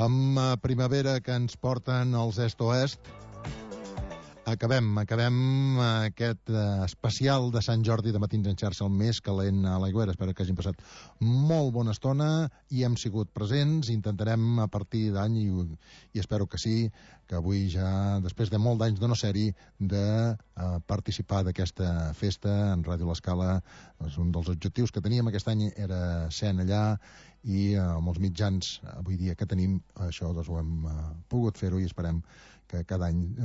Amb primavera que ens porten els est-oest, acabem aquest especial de Sant Jordi de Matins en xarxa, el més calent a l'Aigüera. Espero que hagin passat molt bona estona i hem sigut presents. Intentarem a partir d'any, i espero que sí, que avui ja, després de molt d'anys de no ser-hi, de participar d'aquesta festa en Ràdio L'Escala. Un dels objectius que teníem aquest any era ser allà, i amb els mitjans avui dia que tenim, això doncs ho hem pogut fer-ho, i esperem que cada any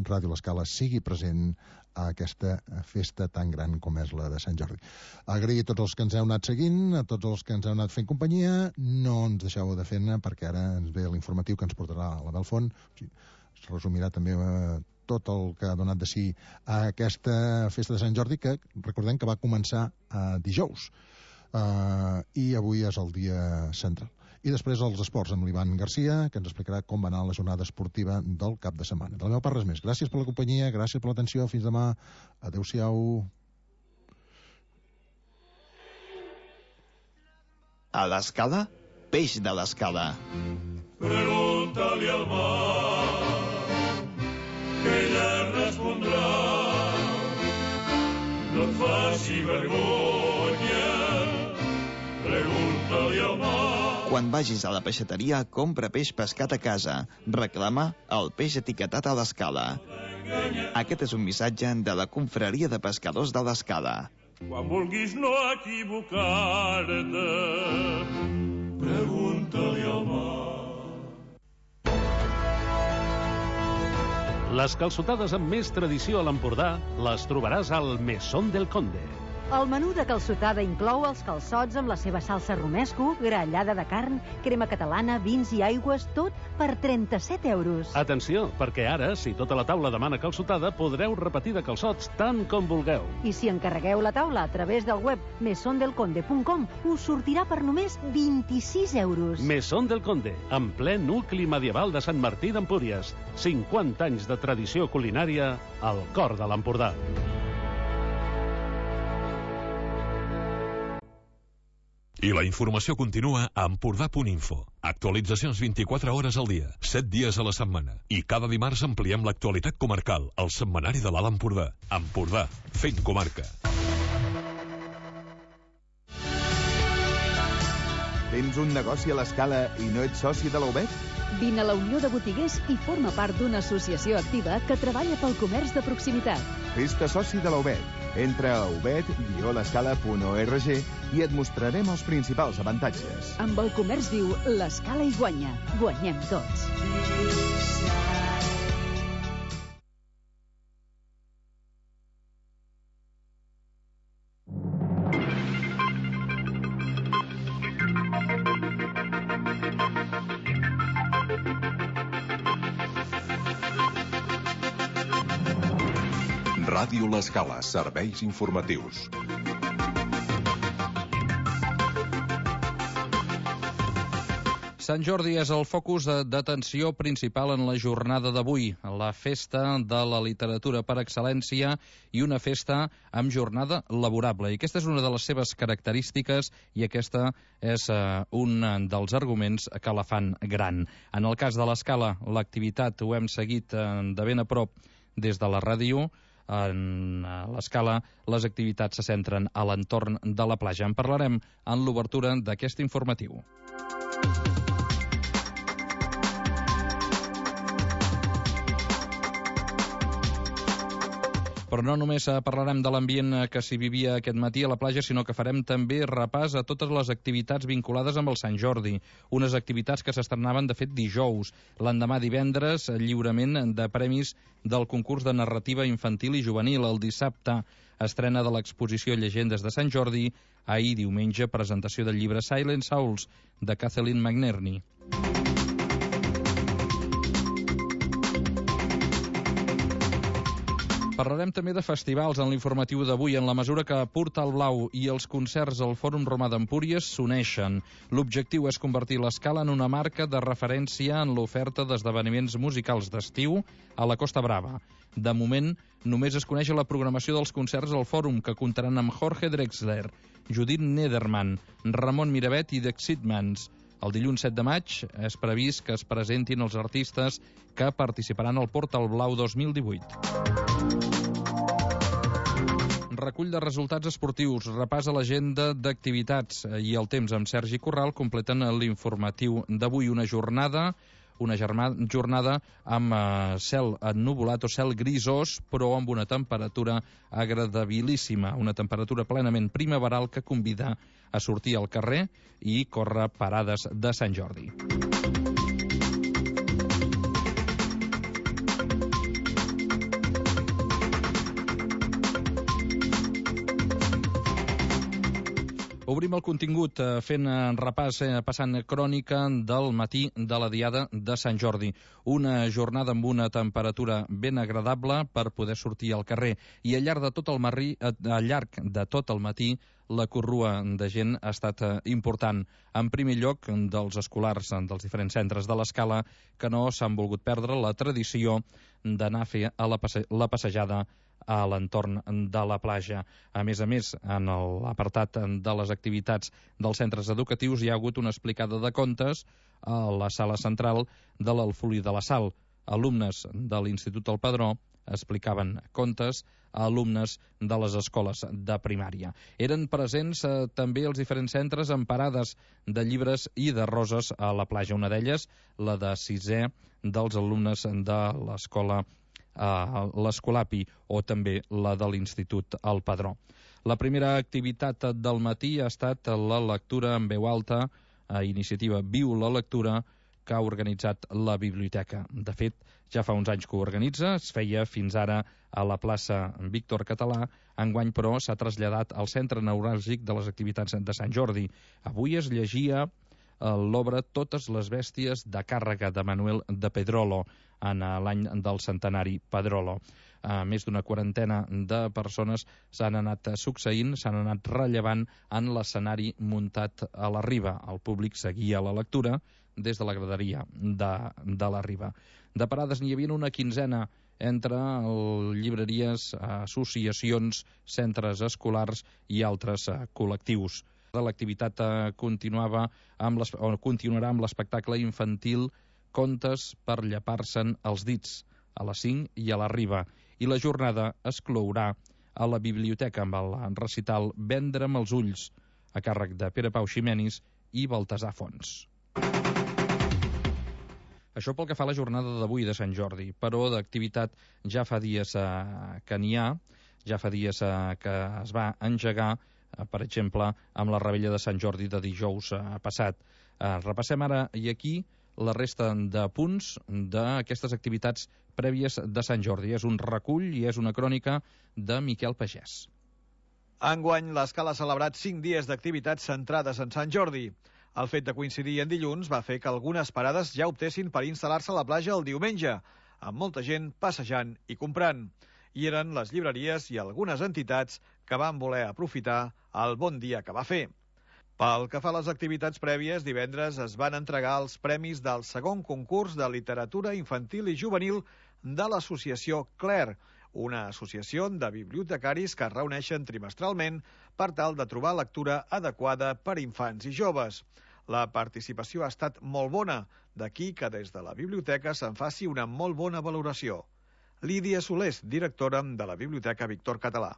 Ràdio L'Escala sigui present a aquesta festa tan gran com és la de Sant Jordi. Agrair a tots els que ens heu anat seguint, a tots els que ens heu anat fent companyia. No ens deixeu de fer-ne, perquè ara ens ve l'informatiu que ens portarà la Belfont. Es resumirà també tot el que ha donat de si a aquesta festa de Sant Jordi, que recordem que va començar dijous, i avui és el dia central. I després els esports amb l'Ivan Garcia, que ens explicarà com va anar la jornada esportiva del cap de setmana. De la meva part res més. Gràcies per la companyia, gràcies per l'atenció, fins demà. Adéu-siau. A l'Escala, peix de l'Escala. Pregúntale al mar, que ella respondrà. No et faci vergonya, pregúntale al mar. Quan vagis a la peixateria, compra peix pescat a casa. Reclama el peix etiquetat a l'Escala. Aquest és un missatge de la Confraria de Pescadors de l'Escala. Quan vulguis no equivocar-te, pregunta-li al mar. Les calçotades amb més tradició a l'Empordà les trobaràs al Mesón del Conde. El menú de calçotada inclou els calçots amb la seva salsa romesco, grallada de carn, crema catalana, vins i aigües, tot per 37 euros. Atenció, perquè ara, si tota la taula demana calçotada, podreu repetir de calçots tant com vulgueu. I si encarregueu la taula a través del web mesondelconde.com, us sortirà per només 26 euros. Mesón del Conde, en ple nucli medieval de Sant Martí d'Empúries. 50 anys de tradició culinària al cor de l'Empordà. I la informació continua a Empordà.info. Actualitzacions 24 hores al dia, 7 dies a la setmana. I cada dimarts ampliem l'actualitat comarcal, al setmanari de l'Alt Empordà. Empordà, fent comarca. Tens un negoci a l'Escala i no ets soci de la UBET? Vine a la Unió de Botiguers i forma part d'una associació activa que treballa pel comerç de proximitat. Fes-te soci de la UBET. Entra a ubet-l'escala.org i et mostrarem els principals avantatges. Amb el comerç viu, l'Escala hi guanya. Guanyem tots. Ràdio L'Escala, serveis informatius. Sant Jordi és el focus d'atenció principal en la jornada d'avui, la festa de la literatura per excel·lència i una festa amb jornada laborable. I aquesta és una de les seves característiques i aquesta és un dels arguments que la fan gran. En el cas de l'Escala, l'activitat ho hem seguit de ben a prop des de la ràdio. En l'Escala, les activitats se centren a l'entorn de la platja. En parlarem en l'obertura d'aquest informatiu. Però no només parlarem de l'ambient que s'hi vivia aquest matí a la platja, sinó que farem també repàs a totes les activitats vinculades amb el Sant Jordi. Unes activitats que s'estrenaven, de fet, dijous. L'endemà divendres, lliurament de premis del concurs de narrativa infantil i juvenil. El dissabte, estrena de l'exposició Llegendes de Sant Jordi. Ahir, diumenge, presentació del llibre Silent Souls, de Kathleen McNerney. Parlarem també de festivals en l'informatiu d'avui, en la mesura que Portal Blau i els concerts al Fòrum Romà d'Empúries s'uneixen. L'objectiu és convertir l'Escala en una marca de referència en l'oferta d'esdeveniments musicals d'estiu a la Costa Brava. De moment, només es coneix la programació dels concerts al Fòrum, que comptaran amb Jorge Drexler, Judith Nederman, Ramon Miravet i The Excitements. El dilluns 7 de maig és previst que es presentin els artistes que participaran al Portal Blau 2018. Recull de resultats esportius, repàs a l'agenda d'activitats i el temps amb Sergi Corral completen l'informatiu d'avui. Una jornada amb cel ennuvolat o cel grisós, però amb una temperatura agradabilíssima, una temperatura plenament primaveral que convida a sortir al carrer i córrer parades de Sant Jordi. Obrim el contingut fent repàs, passant crònica del matí de la Diada de Sant Jordi. Una jornada amb una temperatura ben agradable per poder sortir al carrer. I al llarg de tot el matí la corrua de gent ha estat important. En primer lloc, dels escolars dels diferents centres de l'Escala que no s'han volgut perdre la tradició d'anar a fer la passejada a l'entorn de la platja. A més, en l'apartat de les activitats dels centres educatius hi ha hagut una explicada de contes a la sala central de l'Alfolí de la Sal. Alumnes de l'Institut del Padró explicaven contes a alumnes de les escoles de primària. Eren presents també els diferents centres amb parades de llibres i de roses a la platja. Una d'elles, la de 6è dels alumnes de l'escola l'Escolapi, o també la de l'Institut El Padró. La primera activitat del matí ha estat la lectura en veu alta a iniciativa Viu la Lectura, que ha organitzat la biblioteca. De fet, ja fa uns anys que ho organitza, es feia fins ara a la plaça Víctor Català, enguany però s'ha traslladat al centre neuràlgic de les activitats de Sant Jordi. Avui es llegia l'obra Totes les bèsties de càrrega de Manuel de Pedrolo, en l'any del centenari Pedrolo. Més d'una quarantena de persones s'han anat succeint, s'han anat rellevant en l'escenari muntat a la Riba. El públic seguia la lectura des de la graderia de la Riba. De parades n'hi havia una quinzena entre llibreries, associacions, centres escolars i altres col·lectius. L'activitat continuarà amb l'espectacle infantil Contes per llepar-se'n els dits, a les 5 i a la Riba. I la jornada es clourà a la biblioteca amb el recital Vendre'm els ulls, a càrrec de Pere Pau Ximenis i Baltasar Fons. Això pel que fa a la jornada d'avui de Sant Jordi, però d'activitat ja fa dies que n'hi ha, ja fa dies que es va engegar, per exemple, amb la revetlla de Sant Jordi de dijous passat. Repassem ara i aquí la resta de punts d'aquestes activitats prèvies de Sant Jordi. És un recull i és una crònica de Miquel Pagès. Enguany, l'Escala ha celebrat 5 dies d'activitats centrades en Sant Jordi. El fet de coincidir en dilluns va fer que algunes parades ja optessin per instal·lar-se a la platja el diumenge, amb molta gent passejant i comprant. I eren les llibreries i algunes entitats que van voler aprofitar el bon dia que va fer. Pel que fa a les activitats prèvies, divendres es van entregar els premis del segon concurs de literatura infantil i juvenil de l'associació Claire, una associació de bibliotecaris que es reuneixen trimestralment per tal de trobar lectura adequada per infants i joves. La participació ha estat molt bona, d'aquí que des de la biblioteca se'n faci una molt bona valoració. Lídia Solés, directora de la Biblioteca Víctor Català.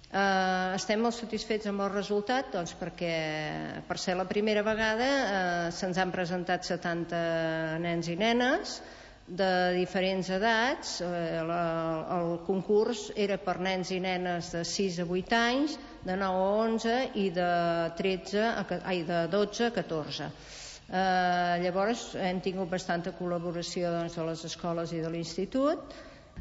Estem molt satisfets amb el resultat, doncs, perquè per ser la primera vegada se'ns han presentat 70 nens i nenes de diferents edats. El concurs era per nens i nenes de 6 a 8 anys, de 9 a 11 i de 12 a 14. Llavors hem tingut bastanta col·laboració de les escoles i de l'institut.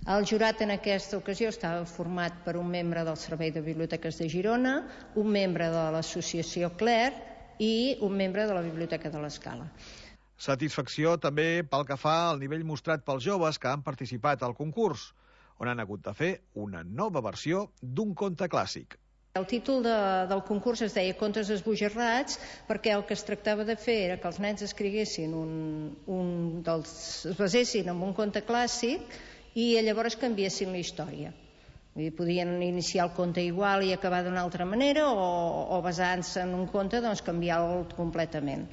El jurat en aquesta ocasió estava format per un membre del Servei de Biblioteques de Girona, un membre de l'associació Claire i un membre de la Biblioteca de l'Escala. Satisfacció també pel que fa al nivell mostrat pels joves que han participat al concurs, on han hagut de fer una nova versió d'un conte clàssic. El títol del concurs es deia Contes esbojarrats, perquè el que es tractava de fer era que els nens escriguessin es basessin en un conte clàssic i llavors canviessin la història. Podien iniciar el conte igual i acabar d'una altra manera, o basant-se en un conte, doncs canviar-lo completament.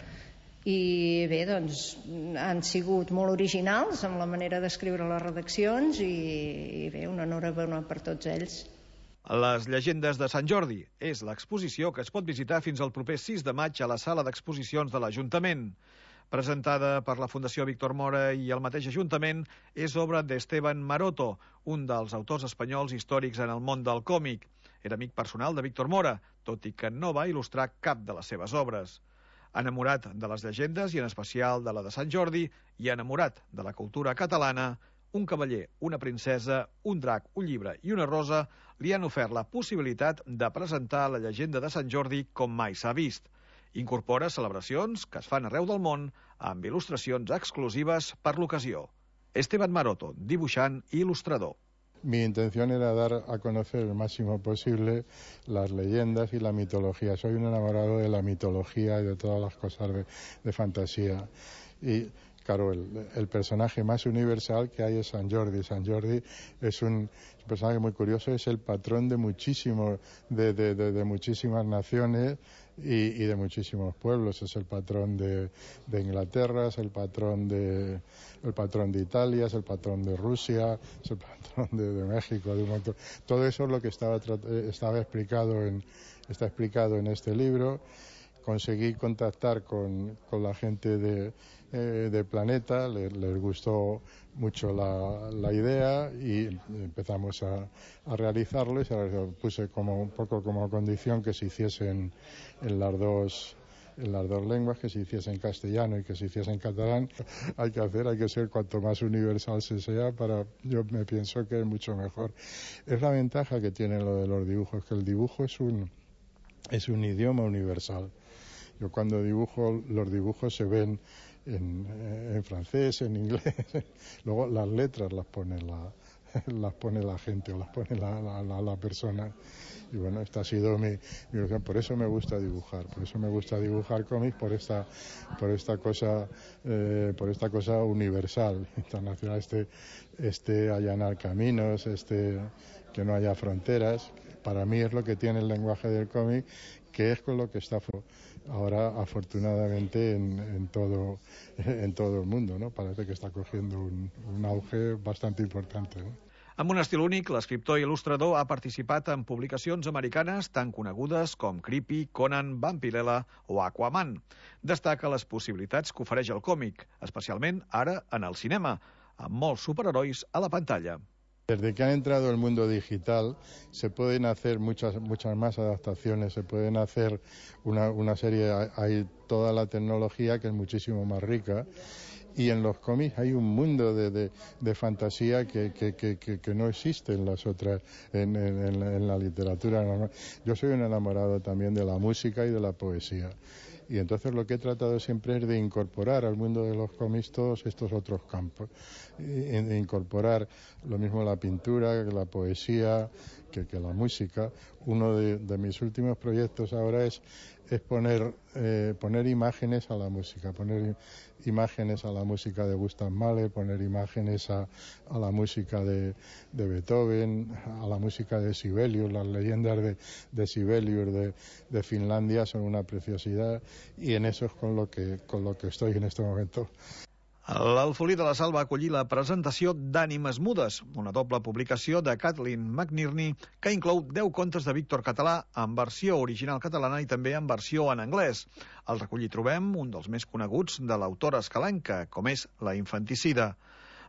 I bé, doncs han sigut molt originals amb la manera d'escriure les redaccions i bé, una enhorabona per tots ells. Les llegendes de Sant Jordi és l'exposició que es pot visitar fins al proper 6 de maig a la sala d'exposicions de l'Ajuntament. Presentada per la Fundació Víctor Mora i el mateix Ajuntament, és obra d'Esteban Maroto, un dels autors espanyols històrics en el món del còmic. Era amic personal de Víctor Mora, tot i que no va il·lustrar cap de les seves obres. Enamorat de les llegendes, i en especial de la de Sant Jordi, i enamorat de la cultura catalana, un cavaller, una princesa, un drac, un llibre i una rosa li han ofert la possibilitat de presentar la llegenda de Sant Jordi com mai s'ha vist. Incorpora celebracions que es fan arreu del món amb il·lustracions exclusives per l'ocasió. Esteban Maroto, dibuixant i il·lustrador. Mi intención era dar a conocer el máximo posible las leyendas y la mitología. Soy un enamorado de la mitología y de todas las cosas de fantasía. Y claro, el personaje más universal que hay es Sant Jordi. Sant Jordi es un personaje muy curioso, es el patrón de muchísimas naciones y de muchísimos pueblos. Es el patrón de Inglaterra, es el patrón de Italia, es el patrón de Rusia, es el patrón de México, de un montón. Todo eso es lo que está explicado en este libro. Conseguí contactar con la gente de Planeta, les gustó mucho la idea y empezamos a realizarlo, y se puse un poco como condición que se hiciese en las dos lenguas, que se hiciese en castellano y que se hiciese en catalán. Hay que ser cuanto más universal se sea, yo me pienso que es mucho mejor. Es la ventaja que tiene lo de los dibujos, que el dibujo es un idioma universal. Yo cuando dibujo, los dibujos se ven en francés, en inglés. Luego las letras las pone la gente o las pone la persona. Y bueno, esta ha sido mi ilusión. Por eso me gusta dibujar. Por eso me gusta dibujar cómics, por esta cosa universal, internacional. Allanar caminos, que no haya fronteras. Para mí es lo que tiene el lenguaje del cómic, que es con lo que está ahora afortunadamente en todo el mundo, ¿no? Parece que está cogiendo un auge bastante importante, ¿no? Amb un estil únic, l'escriptor i il·lustrador ha participat en publicacions americanes tan conegudes com Creepy, Conan, Vampirella o Aquaman. Destaca les possibilitats que ofereix el còmic, especialment ara en el cinema, amb molts superherois a la pantalla. Desde que ha entrado el mundo digital se pueden hacer muchas más adaptaciones, se pueden hacer una serie, hay toda la tecnología que es muchísimo más rica, y en los cómics hay un mundo de fantasía que no existe en las otras, en la literatura normal. Yo soy un enamorado también de la música y de la poesía. Y entonces lo que he tratado siempre es de incorporar al mundo de los cómics todos estos otros campos. De incorporar lo mismo la pintura, la poesía, que la música. Uno de mis últimos proyectos ahora es poner imágenes a la música, poner imágenes a la música de Gustav Mahler, poner imágenes a la música de Beethoven, a la música de Sibelius. Las leyendas de Sibelius de Finlandia son una preciosidad, y en eso es con lo que estoy en este momento. L'Alfolí de la Sal va acollir la presentació d'Ànimes Mudes, una doble publicació de Kathleen McNerney que inclou 10 contes de Víctor Català en versió original catalana i també en versió en anglès. Al recull hi trobem un dels més coneguts de l'autora escalenca, com és La infanticida.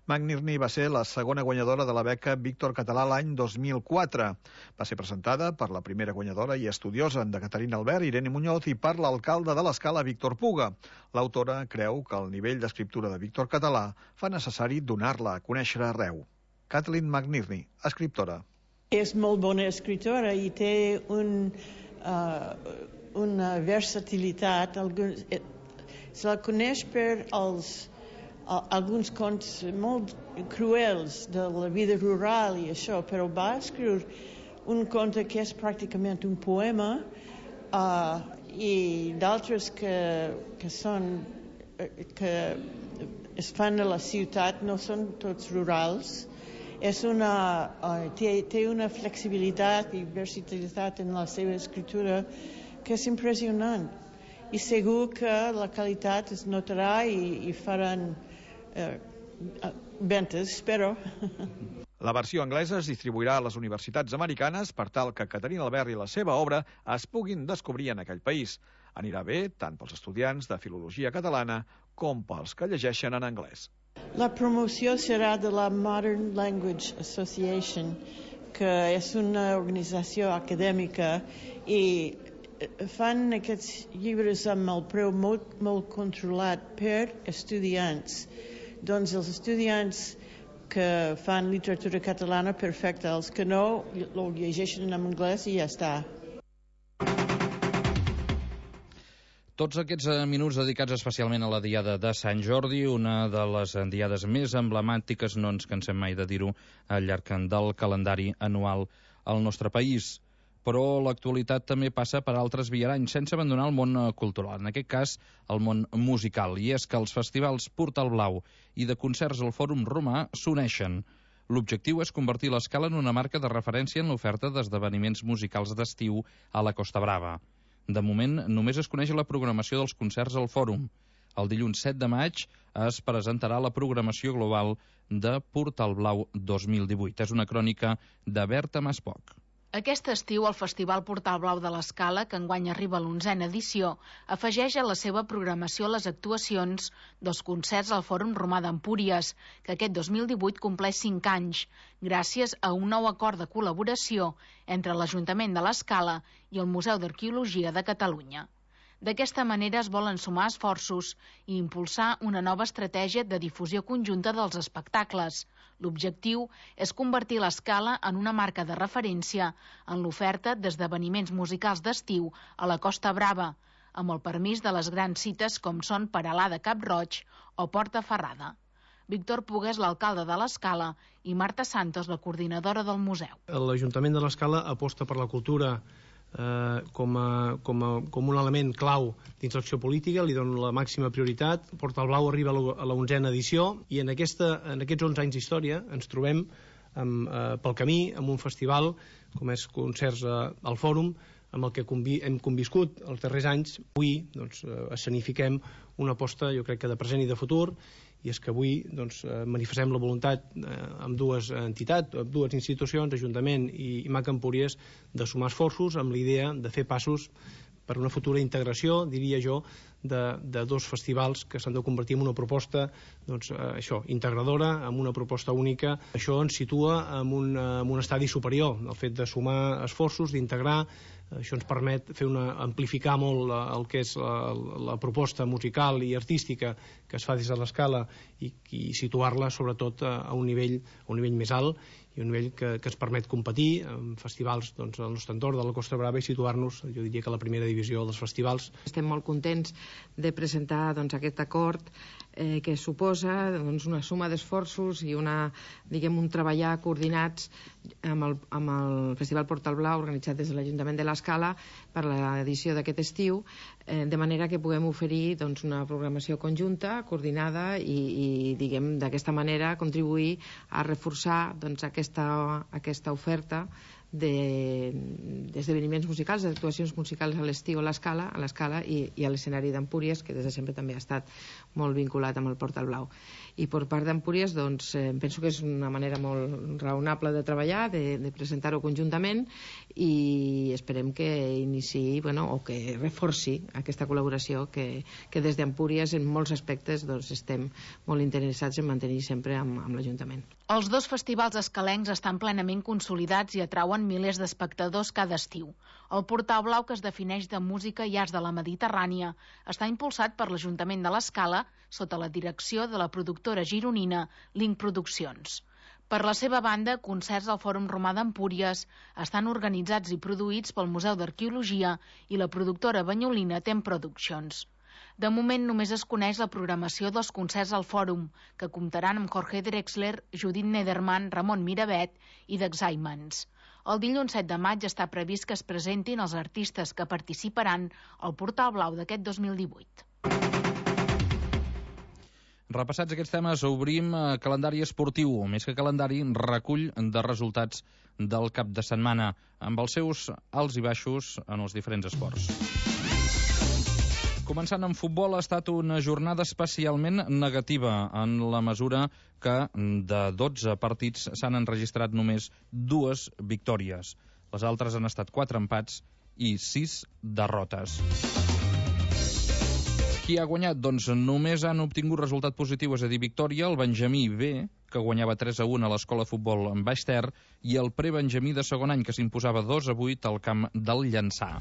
McNerney va ser la segona guanyadora de la beca Víctor Català l'any 2004. Va ser presentada per la primera guanyadora i estudiosa de Caterina Albert, Irene Muñoz, i per l'alcalde de l'Escala, Víctor Puga. L'autora creu que el nivell d'escriptura de Víctor Català fa necessari donar-la a conèixer arreu. Kathleen McNerney, escriptora. És molt bona escriptora i té una versatilitat. Se la coneix per alguns contes molt cruels de la vida rural i això, però va escriure un conte que és pràcticament un poema, i d'altres que es fan a la ciutat, no són tots rurals. Té una flexibilitat i versatilitat en la seva escriptura que és impressionant. i segur que la qualitat es notarà i faran ventes, espero. La versió anglesa es distribuirà a les universitats americanes per tal que Caterina Albert i la seva obra es puguin descobrir en aquell país. Anirà bé tant pels estudiants de filologia catalana com pels que llegeixen en anglès. La promoció serà de la Modern Language Association, que és una organització acadèmica i fan aquests llibres amb el preu molt controlat per estudiants. Doncs els estudiants que fan literatura catalana, perfecte. Els que no, ho llegeixen en anglès i ja està. Tots aquests minuts dedicats especialment a la Diada de Sant Jordi, una de les diades més emblemàtiques, no ens cansem mai de dir-ho, al llarg del calendari anual al nostre país. Però l'actualitat també passa per altres viaranys, sense abandonar el món cultural, en aquest cas el món musical. I és que els festivals Portal Blau i de concerts al Fòrum Romà s'uneixen. L'objectiu és convertir l'Escala en una marca de referència en l'oferta d'esdeveniments musicals d'estiu a la Costa Brava. De moment, només es coneix la programació dels concerts al Fòrum. El dilluns 7 de maig es presentarà la programació global de Portal Blau 2018. És una crònica de Berta Maspoc. Aquest estiu, el Festival Portal Blau de l'Escala, que enguany arriba a l'11a edició, afegeix a la seva programació les actuacions dels concerts al Fòrum Romà d'Empúries, que aquest 2018 compleix 5 anys, gràcies a un nou acord de col·laboració entre l'Ajuntament de l'Escala i el Museu d'Arqueologia de Catalunya. D'aquesta manera es volen sumar esforços i impulsar una nova estratègia de difusió conjunta dels espectacles. L'objectiu és convertir l'Escala en una marca de referència en l'oferta d'esdeveniments musicals d'estiu a la Costa Brava, amb el permís de les grans cites com són Peralada Cap-roig o Porta Ferrada. Víctor Puga és l'alcalde de l'Escala i Marta Santos, la coordinadora del museu. L'Ajuntament de l'Escala aposta per la cultura com un element clau dins l'acció política, li dono la màxima prioritat. Portal Blau arriba a la 11a edició i en aquests 11 anys d'història ens trobem pel camí amb un festival com és Concerts al Fòrum, amb el que hem conviscut els darrers anys. Avui escenifiquem una aposta, jo crec que de present i de futur, i és que avui manifestem la voluntat amb dues entitats, amb dues institucions, Ajuntament i MAC Empúries, de sumar esforços amb l'idea de fer passos per una futura integració, diria jo, de dos festivals que s'han de convertir en una proposta integradora, en una proposta única. Això ens situa en un estadi superior, el fet de sumar esforços, d'integrar. Això ens permet amplificar molt el que és la proposta musical i artística que es fa des de l'Escala i situar-la sobretot a un nivell més alt i un nivell que ens permet competir amb festivals al nostre entorn de la Costa Brava i situar-nos, jo diria que a la primera divisió dels festivals. Estem molt contents de presentar aquest acord que suposa una suma d'esforços i un treballar coordinats amb el Festival Portal Blau organitzat des de l'Ajuntament de l'Escala per l'edició d'aquest estiu, de manera que puguem oferir una programació conjunta, coordinada i d'aquesta manera contribuir a reforçar aquesta oferta d'esdeveniments musicals, d'actuacions musicals a l'estiu a l'Escala i a l'escenari d'Empúries, que des de sempre també ha estat molt vinculat amb el Portal Blau. I per part d'Empúries, penso que és una manera molt raonable de treballar, de presentar-ho conjuntament, i esperem que iniciï o que reforci aquesta col·laboració que des d'Empúries en molts aspectes estem molt interessats en mantenir sempre amb l'Ajuntament. Els dos festivals escalencs estan plenament consolidats i atrauen milers d'espectadors cada estiu. El Portal Blau, que es defineix de música i arts de la Mediterrània, està impulsat per l'Ajuntament de l'Escala sota la direcció de la productora gironina Link Produccions. Per la seva banda, concerts al Fòrum Romà d'Empúries estan organitzats i produïts pel Museu d'Arqueologia i la productora banyolina Tem Productions. De moment només es coneix la programació dels concerts al Fòrum, que comptaran amb Jorge Drexler, Judith Nederman, Ramon Miravet i The Excitements. El dilluns 7 de maig està previst que es presentin els artistes que participaran al Portal Blau d'aquest 2018. Repassats aquests temes, obrim calendari esportiu, més que calendari, recull de resultats del cap de setmana, amb els seus alts i baixos en els diferents esports. Començant amb futbol, ha estat una jornada especialment negativa en la mesura que de 12 partits s'han enregistrat només 2 victòries. Les altres han estat 4 empats i 6 derrotes. Qui ha guanyat? Doncs només han obtingut resultat positiu, és a dir, victòria, el Benjamí B, que guanyava 3-1 a l'Escola Futbol en Baix Ter, i el Prebenjamí de segon any, que s'imposava 2-8 al camp del Llançà.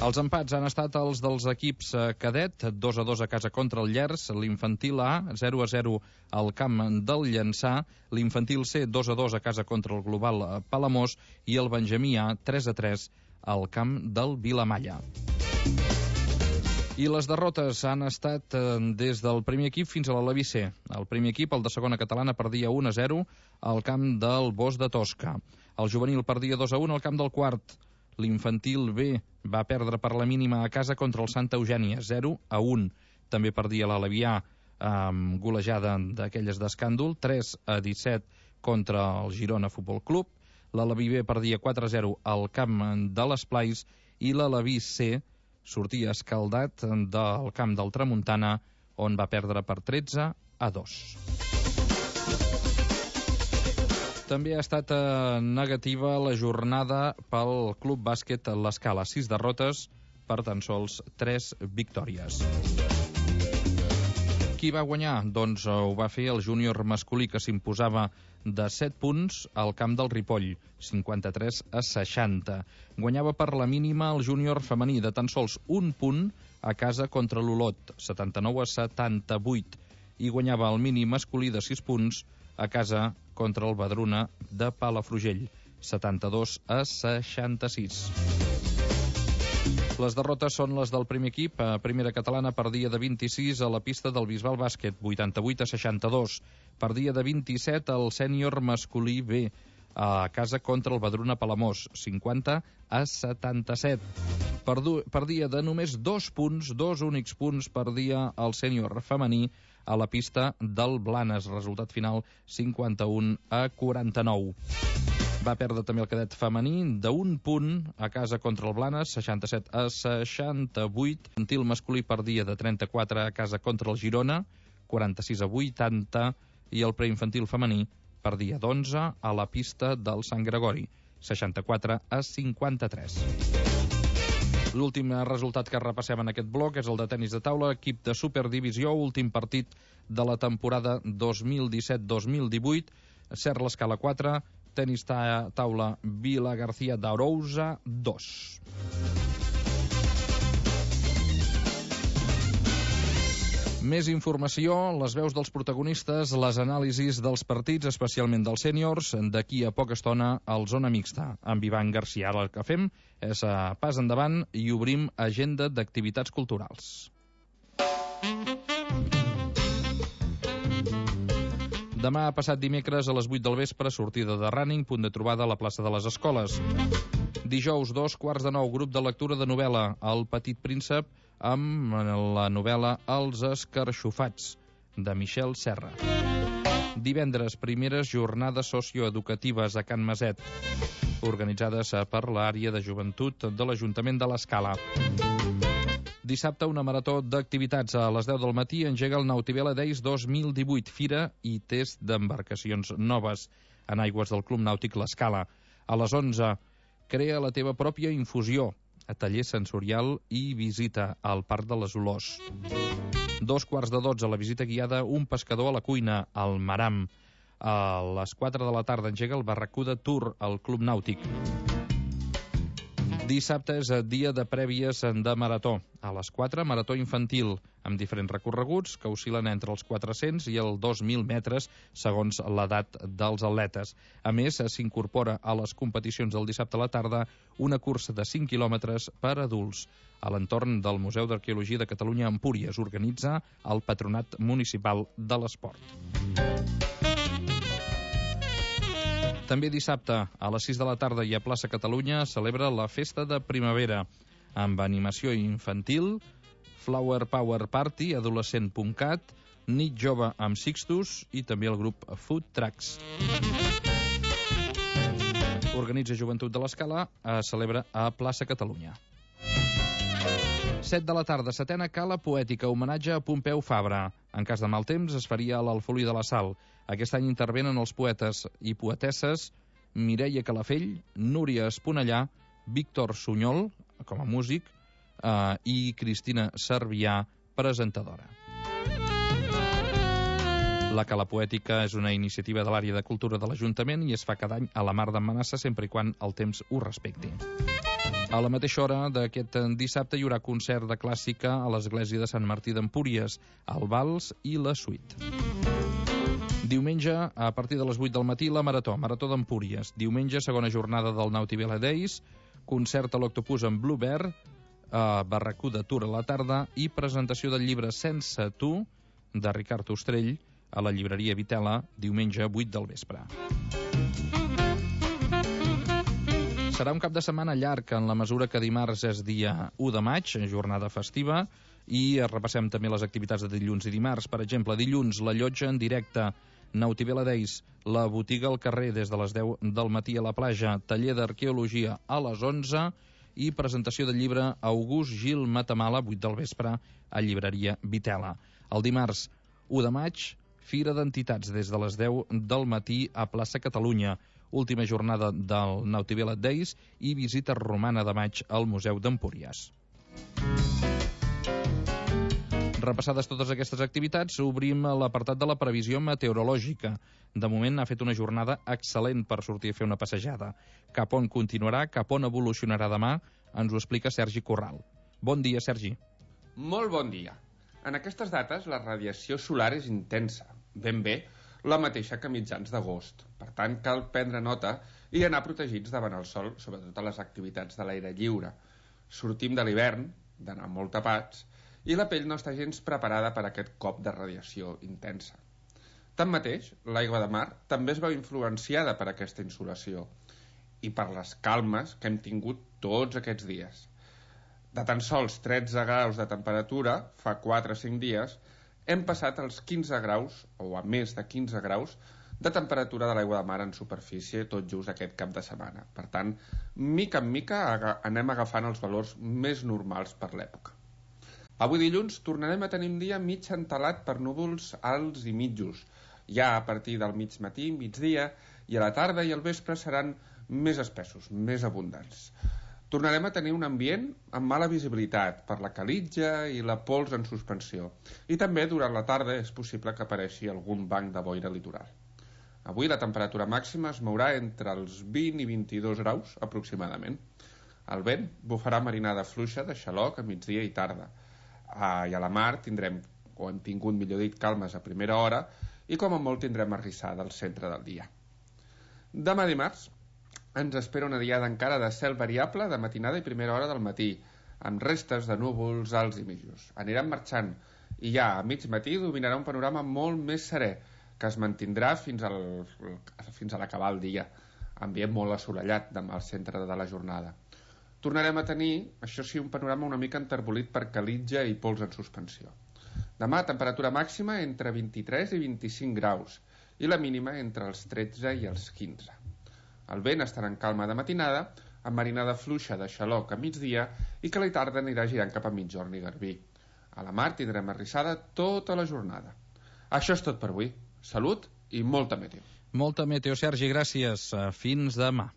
Els empats han estat els dels equips cadet, 2-2 a casa contra el Llers, l'infantil A, 0-0 al camp del Llançà, l'infantil C, 2-2 a casa contra el Global Palamós, i el Benjamí A, 3-3 al camp del Vilamalla. I les derrotes han estat des del primer equip fins a l'Aleví C. El primer equip, el de segona catalana, perdia 1-0 al camp del Bosc de Tosca. El juvenil perdia 2-1 al camp del quart. L'infantil B va perdre per la mínima a casa contra el Santa Eugènia, 0-1. També perdia l'Aleví A amb golejada d'aquelles d'escàndol, 3-17 contra el Girona Futbol Club. L'Aleví B perdia 4-0 al camp de l'Esplais i l'Aleví C sortia escaldat del camp del Tramuntana, on va perdre per 13-2. També ha estat negativa la jornada pel Club Bàsquet L'Escala, 6 derrotes per tan sols 3 victòries. Qui va guanyar? Doncs ho va fer el júnior masculí, que s'imposava de 7 punts al camp del Ripoll, 53-60. Guanyava per la mínima el júnior femení de tan sols 1 punt a casa contra l'Olot, 79-78. I guanyava el mínim masculí de 6 punts a casa contra el Badruna de Palafrugell, 72-66. Les derrotes són les del primer equip. Primera catalana perdia de 26 a la pista del Bisbal Bàsquet, 88-62. Perdia de 27 al sènior masculí B a casa contra el Badruna Palamós, 50-77. Perdia de només 2 punts, 2 únics punts, perdia el sènior femení a la pista del Blanes, resultat final 51-49. Va perdre també el cadet femení de 1 punt a casa contra el Blanes, 67-68. Infantil masculí perdia de 34 a casa contra el Girona, 46-80. I el preinfantil femení perdia d'11 a la pista del Sant Gregori, 64-53. L'últim resultat que repassem en aquest bloc és el de tenis de taula, equip de Superdivisió, últim partit de la temporada 2017-2018, Ser l'Escala 4, tenis taula Vila García d'Arousa 2. Més informació, les veus dels protagonistes, les anàlisis dels partits, especialment dels sèniors, d'aquí a poca estona al Zona Mixta, amb Ivan García. Ara el que fem és pas endavant i obrim agenda d'activitats culturals. Demà passat dimecres a les 8 del vespre, sortida de Running, punt de trobada a la plaça de les Escoles. Dijous, 8:45, grup de lectura de novel·la, El Petit Príncep, amb la novel·la Els Escarxofats, de Michel Serra. Divendres, primeres jornades socioeducatives a Can Maset, organitzades per l'àrea de joventut de l'Ajuntament de l'Escala. Dissabte, una marató d'activitats. A les 10 del matí engega el Nautivela Days 2018, fira i test d'embarcacions noves en aigües del Club Nàutic l'Escala. A les 11, crea la teva pròpia infusió, a taller sensorial i visita al Parc de les Olors. 11:45, la visita guiada Un pescador a la cuina, al Maram. A les 4 de la tarda engega el Barracuda Tour al Club Nàutic. Dissabte és dia de prèvies de marató. A les 4, marató infantil, amb diferents recorreguts que oscil·len entre els 400 i els 2.000 metres, segons l'edat dels atletes. A més, s'incorpora a les competicions del dissabte a la tarda una cursa de 5 quilòmetres per adults. A l'entorn del Museu d'Arqueologia de Catalunya a Empúries organitza el Patronat Municipal de l'Esport. També dissabte, a les 6 de la tarda i a Plaça Catalunya, celebra la Festa de Primavera, amb animació infantil, Flower Power Party, adolescent.cat, nit jove amb Sixtus i també el grup Food Trucks. Organitza Joventut de l'Escala, celebra a Plaça Catalunya. 7 de la tarda, 7ª Cala Poètica, homenatge a Pompeu Fabra. En cas de mal temps, es faria a l'Alfolí de la Sal. Aquest any intervenen els poetes i poetesses Mireia Calafell, Núria Esponellà, Víctor Sunyol, com a músic, i Cristina Servià, presentadora. La Cala Poètica és una iniciativa de l'àrea de cultura de l'Ajuntament i es fa cada any a la Mar d'en Manassa, sempre i quan el temps ho respecti. A la mateixa hora d'aquest dissabte hi haurà concert de clàssica a l'església de Sant Martí d'Empúries, el Vals i la Suite. Diumenge, a partir de les 8 del matí, la Marató d'Empúries. Diumenge, segona jornada del Naughty Vela Days, concert a l'Octopus en Bluebird, barracú de Tour a la tarda i presentació del llibre Sense tu, de Ricard Ostrell, a la llibreria Vitela, diumenge 8 del vespre. Serà un cap de setmana llarg, en la mesura que dimarts és dia 1 de maig, jornada festiva, i repassem també les activitats de dilluns i dimarts. Per exemple, dilluns, la llotja en directe, Naughty Vela Days, la botiga al carrer des de les 10 del matí a la platja, taller d'arqueologia a les 11 i presentació del llibre August Gil Matamala, 8 del vespre, a llibreria Vitela. El dimarts 1 de maig, Fira d'Entitats des de les 10 del matí a plaça Catalunya, última jornada del Naughty Vela Days i visita romana de maig al Museu d'Empúries. Repassades totes aquestes activitats, obrim l'apartat de la previsió meteorològica. De moment ha fet una jornada excel·lent per sortir a fer una passejada. Cap on continuarà, cap on evolucionarà demà, ens ho explica Sergi Corral. Bon dia, Sergi. Molt bon dia. En aquestes dates la radiació solar és intensa, ben bé la mateixa que mitjans d'agost. Per tant, cal prendre nota i anar protegits davant el sol, sobretot a les activitats de l'aire lliure. Sortim de l'hivern, d'anar molt tapats, i la pell no està gens preparada per a aquest cop de radiació intensa. Tanmateix, l'aigua de mar també es veu influenciada per aquesta insolació i per les calmes que hem tingut tots aquests dies. De tan sols 13 graus de temperatura, fa 4 o 5 dies, hem passat als 15 graus, o a més de 15 graus, de temperatura de l'aigua de mar en superfície tot just aquest cap de setmana. Per tant, mica en mica anem agafant els valors més normals per l'època. Avui dilluns tornarem a tenir un dia mig entelat per núvols alts i mitjos. Ja a partir del mig matí, migdia, i a la tarda i al vespre seran més espessos, més abundants. Tornarem a tenir un ambient amb mala visibilitat per la calitja i la pols en suspensió. I també durant la tarda és possible que apareixi algun banc de boira litoral. Avui la temperatura màxima es mourà entre els 20 i 22 graus aproximadament. El vent bufarà marinada fluixa de xaloc a migdia i tarda. I a la mar tindrem, o hem tingut millor dit, calmes a primera hora i com a molt tindrem arrissada al centre del dia. Demà dimarts ens espera una diada encara de cel variable de matinada i primera hora del matí, amb restes de núvols alts i mitjos. Aniran marxant i ja a mig matí dominarà un panorama molt més serè, que es mantindrà fins a l'acabar el dia, ambient molt assolellat demà al centre de la jornada. Tornarem a tenir, això sí, un panorama una mica enterbolit per calitja i pols en suspensió. Demà, temperatura màxima entre 23 i 25 graus i la mínima entre els 13 i els 15. El vent estarà en calma de matinada, amb marinada fluixa de xaloc a migdia i que a la tarda anirà girant cap a migjorn i Garbí. A la mar tindrem arrissada tota la jornada. Això és tot per avui. Salut i molta meteo. Molta meteo, Sergi, gràcies. Fins demà.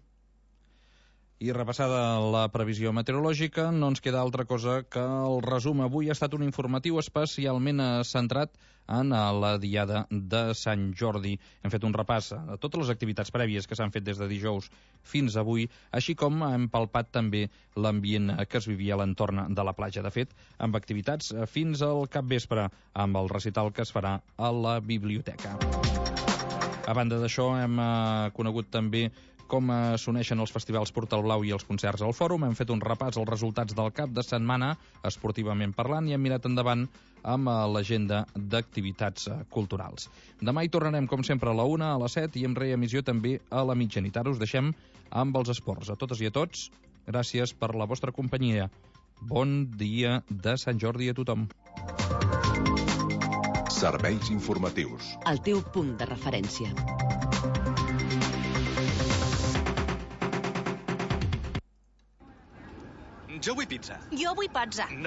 I repassada la previsió meteorològica, no ens queda altra cosa que el resum. Avui ha estat un informatiu especialment centrat en la diada de Sant Jordi. Hem fet un repàs de totes les activitats prèvies que s'han fet des de dijous fins avui, així com hem palpat també l'ambient que es vivia a l'entorn de la platja. De fet, amb activitats fins al capvespre, amb el recital que es farà a la biblioteca. A banda d'això, hem conegut també com s'uneixen els festivals Portal Blau i els concerts al Fòrum. Hem fet un repàs als resultats del cap de setmana, esportivament parlant, i hem mirat endavant amb l'agenda d'activitats culturals. Demà hi tornarem, com sempre, a la 1, a les 7 i amb reemissió també a la mitjanit. Ara us deixem amb els esports. A totes i a tots, gràcies per la vostra companyia. Bon dia de Sant Jordi a tothom. Serveis informatius. El teu punt de referència. Jo vull pizza. Jo vull pizza.